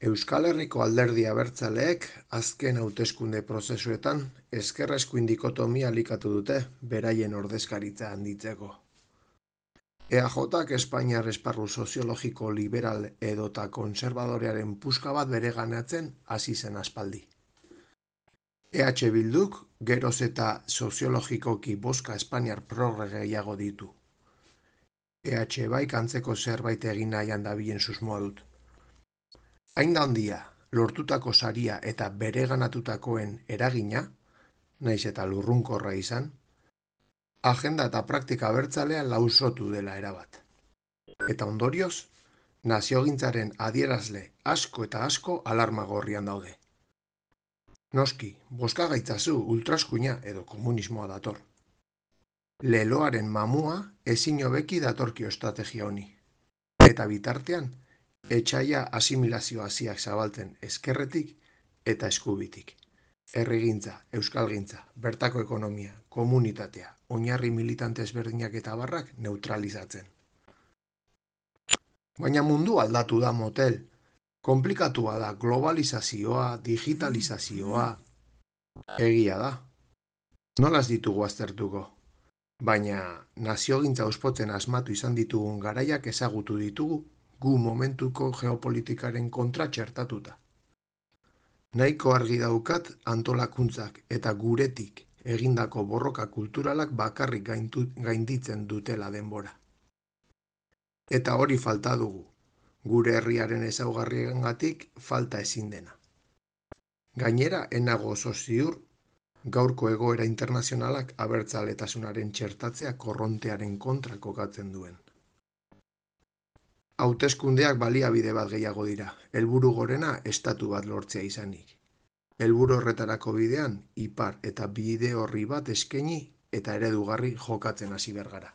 Euskal Herriko Alderdi Abertzaleek azken hauteskunde prozesuetan ezker-eskuin dikotomia elikatu dute beraien ordezkaritza handitzeko. EAJak Espainiar esparru soziologiko liberal edota kontserbadorearen puska bat bereganatzen hasi zen aspaldi. EH Bilduk geroz eta soziologikoki bozka espainiar progre gehiago ditu. EH baik antzeko zerbait egin nahian dabilen susmoa dut. Hain da handia, lortutako saria eta bereganatutakoen eragina, naiz eta lurrunkorra izan, agenda eta praktika abertzalea lausotu dela erabat. Eta ondorioz, naziogintzaren adierazle asko eta asko alarma gorrian daude. Noski, bozka gaitzazu ultraskuina edo komunismoa dator. Leloaren mamua ezin hobeki datorkio estrategia honi. Eta bitartean, etxaia asimilazio hasiak zabaltzen ezkerretik eta eskubitik. Herrigintza, euskalgintza, bertako ekonomia, komunitatea, oinarri militante ezberdinak eta barrak neutralizatzen. Baina mundu aldatu da motel. Konplikatua da globalizazioa, digitalizazioa. Egia da. Nolaz ditugu aztertuko? Baina naziogintza ospotzen asmatu izan ditugun garaiak ezagutu ditugu gu momentuko geopolitikaren kontra txertatuta. Nahiko argi daukat antolakuntzak eta guretik egindako borroka kulturalak bakarrik gainditzen dutela denbora. Eta hori falta dugu, gure herriaren ezaugarriengatik falta ezin dena. Gainera, enago oso ziur, gaurko egoera internazionalak abertzaletasunaren txertatzea korrontearen kontra kokatzen duen. Hauteskundeak baliabide bat gehiago dira, helburu gorena estatu bat lortzea izanik. Helburu horretarako bidean, ipar eta bide horri bat eskaini eta eredugarri jokatzen hasi behar gara.